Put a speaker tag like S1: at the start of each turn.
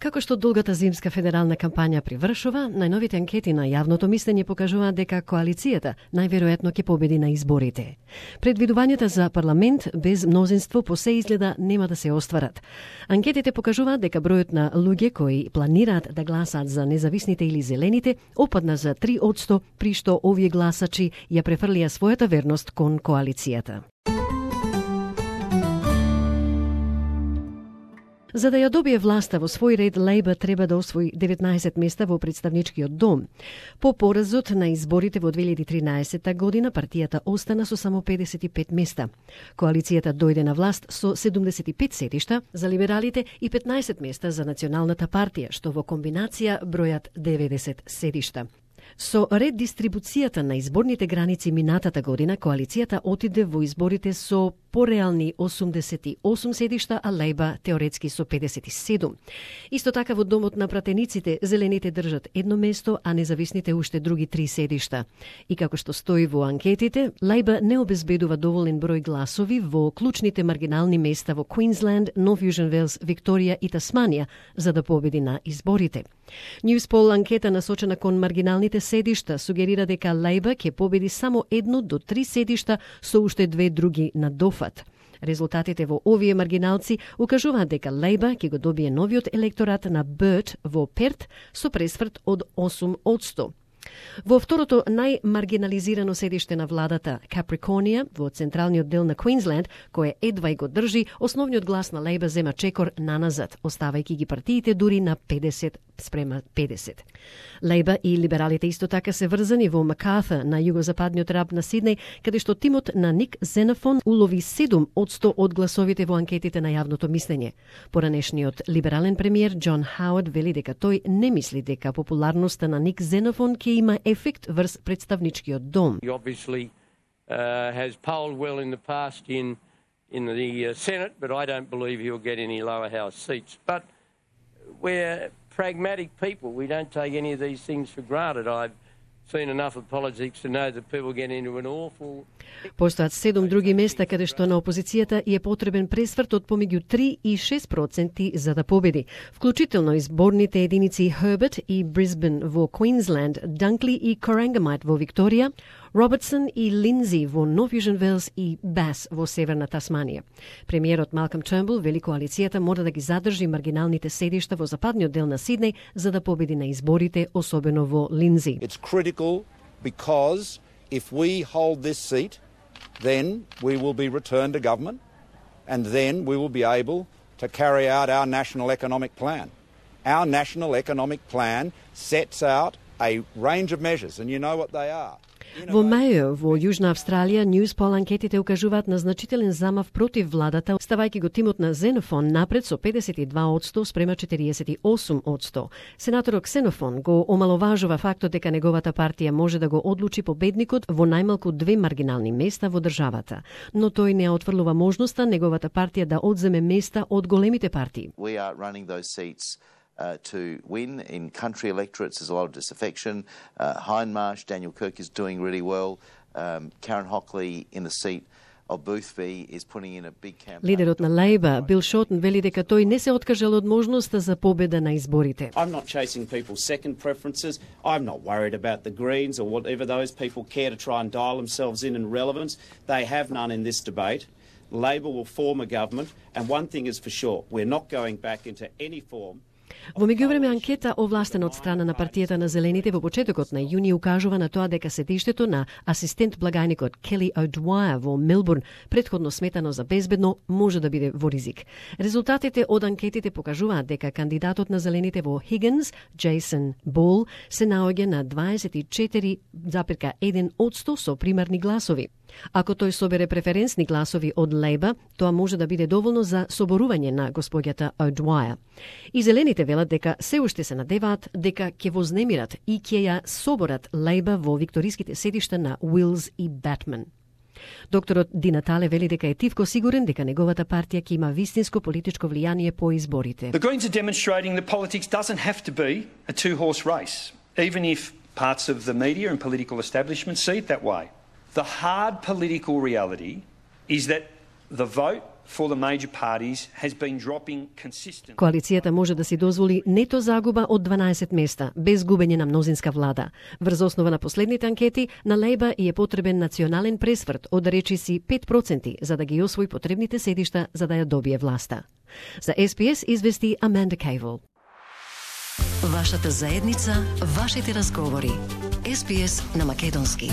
S1: Како што долгата зимска федерална кампања привршува, најновите анкети на јавното мислење покажуваат дека коалицијата најверојатно ќе победи на изборите. Предвидувањата за парламент без мнозинство по се изгледа нема да се остварат. Анкетите покажуваат дека бројот на луѓе кои планираат да гласаат за независните или зелените опадна за 3%, при што овие гласачи ја префрлија својата верност кон коалицијата. За да ја добие власта во свој ред, Лейбър треба да освои 19 места во представничкиот дом. По поразот на изборите во 2013 година, партијата остана со само 55 места. Коалицијата дојде на власт со 75 седишта за либералите и 15 места за Националната партија, што во комбинација бројат 90 седишта. Со редистрибуцијата на изборните граници минатата година, коалицијата отиде во изборите со пореални 88 седишта, а Лейбър теоретски со 57. Исто така во домот на пратениците, зелените држат едно место, а независните уште други 3 седишта. И како што стои во анкетите, Лейбър не обезбедува доволен број гласови во клучните маргинални места во Квинсленд, Нов Јужен Велс, Викторија и Тасманија, за да победи на изборите. Newspol анкета насочена кон маргиналните седишта сугерира дека Лейбър ќе победи само 1 до 3 седишта со уште 2 други на дофат. Резултатите во овие маргиналци укажуваат дека Лейбър ќе го добие новиот електорат на Бърт во Перт со пресврт од 8%. Во второто најмаргинализирано седиште на владата, Каприконија, во централниот дел на Квинсленд, кој едва и го држи, основниот глас на Лейбър зема чекор наназад, оставајќи ги партиите дури на 50:50. Лейбър и либералите исто така се врзани во Макарthur на југозападниот раб на Сиднеј, каде што тимот на Ник Зенофон улови 7% од гласовите во анкетите на јавното мислење. Поранешниот либерален премиер Џон Хауард вели дека тој не мисли дека популарноста на Ник Зенофон ќе има ефект врз представничкиот дом.
S2: He obviously has polled well in the past in the Senate, but I don't believe he'll get any lower house seats. But we're pragmatic people. We don't take any of these things for granted. I've seen enough of politics to know that people get into an awful...
S1: Постојат 7 други места каде што на опозицијата е потребен пресврт од помеѓу 3 и 6% за да победи, вклучително изборните единици Херберт и Брисбен во Квинсленд, Данкли и Корангамайт во Викторија, Робертсон и Линдзи во Нов Јужен Велс и Бас во Северна Тасманија. Премиерот Малком Тернбул вели коалицијата мора да ги задржи маргиналните седишта во западниот дел на Сиднеј за да победи на изборите, особено во Линдзи.
S3: It's critical because if we hold this seat, then we will be returned to government and then we will be able to carry out our national economic plan. Our national economic plan sets out a range of measures and you know what they are.
S1: Во Мајо, во Јужна Австралија, Newspol анкетите укажуваат на значителен замав против владата, ставајќи го тимот на Зенофон напред со 52% спрема 48%. Сенаторот Ксенофон го омаловажува фактот дека неговата партија може да го одлучи победникот во најмалку 2 маргинални места во државата, но тој не отфрлува можноста неговата партија да одземе места од големите партии.
S4: We are running those seats to win. In country electorates, there's a lot of disaffection. Hindmarsh, Daniel Kirk is doing really well. Karen Hockley in the seat of Boothby is putting in a big campaign.
S1: Лидерот на Лейбър, Бил Шортон, вели дека тој не се откажал од можноста за победа на изборите.
S5: I'm not chasing people's second preferences. I'm not worried about the Greens or whatever those people care to try and dial themselves in relevance. They have none in this debate. Labor will form a government, and one thing is for sure, we're not going back into any form.
S1: Во меѓувреме анкета овластена од страна на партијата на Зелените во почетокот на јуни укажува на тоа дека седиштето на асистент благајникот Кели О'Двајер во Мелбурн, претходно сметано за безбедно, може да биде во ризик. Резултатите од анкетите покажуваат дека кандидатот на Зелените во Хигинс, Джейсон Бол, се наоѓа на 24,1% со примарни гласови. Ако тој собере преференсни гласови од Лейбър, тоа може да биде доволно за соборување на господјата О'Двајер. И Зелените велат дека се уште се надеваат дека ќе вознемират и ќе ја соборат Лейбър во викториските седишта на Уилс и Батман. Докторот Ди Натале вели дека е тивко сигурен дека неговата партија ќе има вистинско политичко влијание по изборите.
S6: The Greens are demonstrating that politics doesn't have to be a two-horse race, even if parts of the media and political establishment see it that way. The hard political reality is that the vote for the major parties has been dropping consistently.
S1: Коалицијата може да си дозволи нето загуба од 12 места, без губење на мнозинска влада. Врз основа на последните анкети, на Лейба е потребен национален пресврт од речиси 5%, за да ги освои потребните седишта за да ја добие власта. За СПС извести Аманда Кейвел.
S7: Вашата заедница, вашите разговори. СПС на македонски.